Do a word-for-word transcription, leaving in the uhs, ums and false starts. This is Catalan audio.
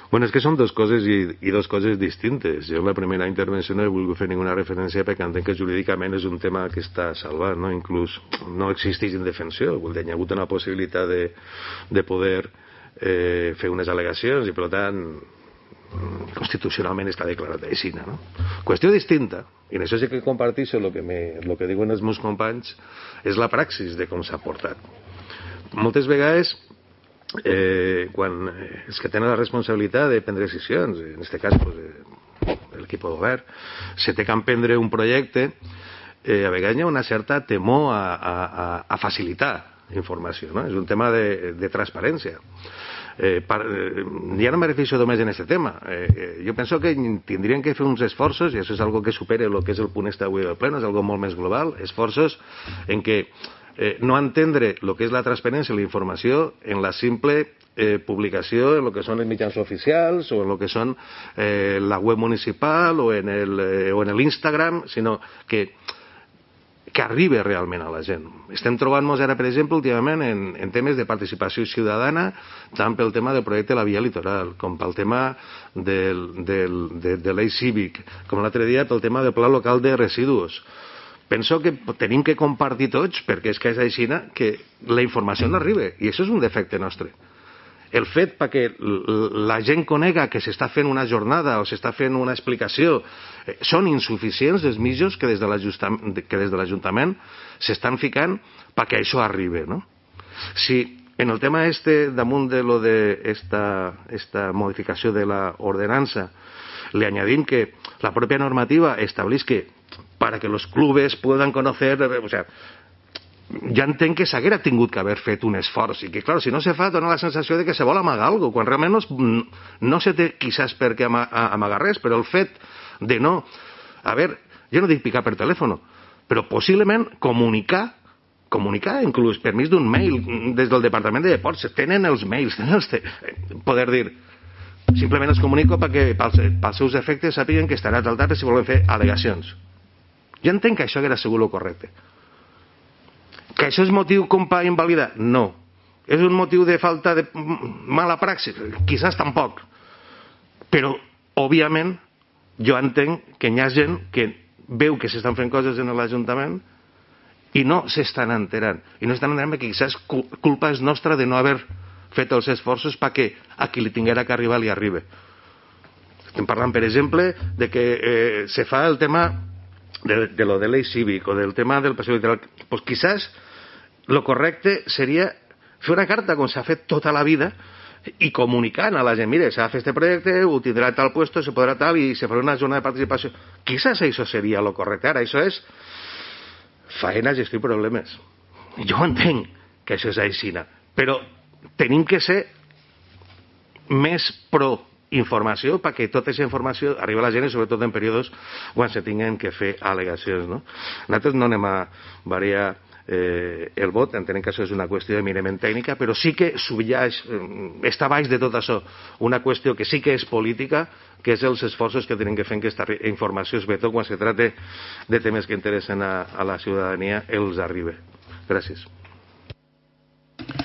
Bueno, és que són dues coses i, i dues coses distintes. Jo en la primera intervenció no he volgut fer ninguna referència perquè entenc que jurídicament és un tema que està salvat, no? Inclús no existeix indefensió. Vull dir, hi ha hagut una possibilitat de, de poder eh, fer unes al·legacions i, per tant, constitucionalment està declarat així, no? Qüestió distinta, i en això sí que comparteixo el que, me, lo que diuen els meus companys, és la praxis de com s'ha portat. Moltes vegades Eh, quan els que tenen la responsabilitat de prendre decisions, en aquest cas pues, eh, l'equip de govern, se té que emprendre un projecte, eh, a vegades hi ha una certa temor a, a, a facilitar informació, no? És un tema de, de transparència. Eh, par, eh, ja no me refiero només en aquest tema. Eh, eh, jo penso que tindrien que fer uns esforços, i això és algo que supera el que és el punt este avui del pleno, és algo molt més global, esforços en què Eh, no entendre el que és la transparència i la informació en la simple eh, publicació en el que són els mitjans oficials o en el que són eh, la web municipal o en el, eh, o en l'Instagram, sinó que que arribi realment a la gent. Estem trobant-nos ara, per exemple, últimament en, en temes de participació ciutadana, tant pel tema del projecte de la via litoral, com pel tema del, del, de, de l'eix cívic, com l'altre dia pel tema del pla local de residus. Penso que tenim que compartir tots, perquè és que és així que la informació no arriba, i això és un defecte nostre. El fet perquè la gent conega que s'està fent una jornada o s'està fent una explicació eh, són insuficients els mitjans que des de l'Ajuntament s'estan ficant perquè això arribi, no? Si en el tema este, damunt de lo de esta, esta modificació de la ordenança, le añadim que la propia normativa estableix que para que los clubes puedan conocer, o sea, ja entenc que s'haguera tingut que haver fet un esforç i que, clar, si no se fa, dona la sensació de que se vol amagar alguna cosa, quan realment no, es, no se té quizás per què amagar res, però el fet de no, a veure, jo no dic picar per telèfon, però possiblement comunicar, comunicar inclús per mig d'un mail des del Departament de Deports, tenen els mails, tenen els te... poder dir, simplement els comunico perquè pels, pels seus efectes sàpiguen que estarà al darrere si volen fer al·legacions. Jo entenc que això era segur el correcte. Que això és motiu com per invalidar? No. És un motiu de falta de mala praxis? Quizás tampoc. Però, òbviament, jo entenc que hi ha gent que veu que s'estan fent coses en l'Ajuntament i no s'estan enterant. I no s'estan enterant perquè quizás culpa és nostra de no haver fet els esforços perquè a qui li tinguera que arribar li arribi. Estem parlant, per exemple, de que eh, se fa el tema de, de lo de l'eix cívic o del tema del passeig literal. Pues quizás lo correcte seria fer una carta com s'ha fet tota la vida i comunicant a la gent, mire, s'ha de fer este projecte, ho tindrà tal puesto, se podrà tal i se farà una zona de participació. Quizás això seria lo correcte. Ara, això és faena, gestió i problemes. Jo entenc que això és aixina, però tenim que ser més pro informació perquè tota aquesta informació arriba a la gent i sobretot en períodes quan se tinguen que fer al·legacions, no? Nosaltres no anem a variar eh, el vot, entenem que això és una qüestió eminentment tècnica, però sí que subilleix, eh, està baix de tot això una qüestió que sí que és política, que és els esforços que tenen que fer que aquesta informació, sobretot quan se tracta de temes que interessen a, a la ciutadania, els arribi. Gràcies.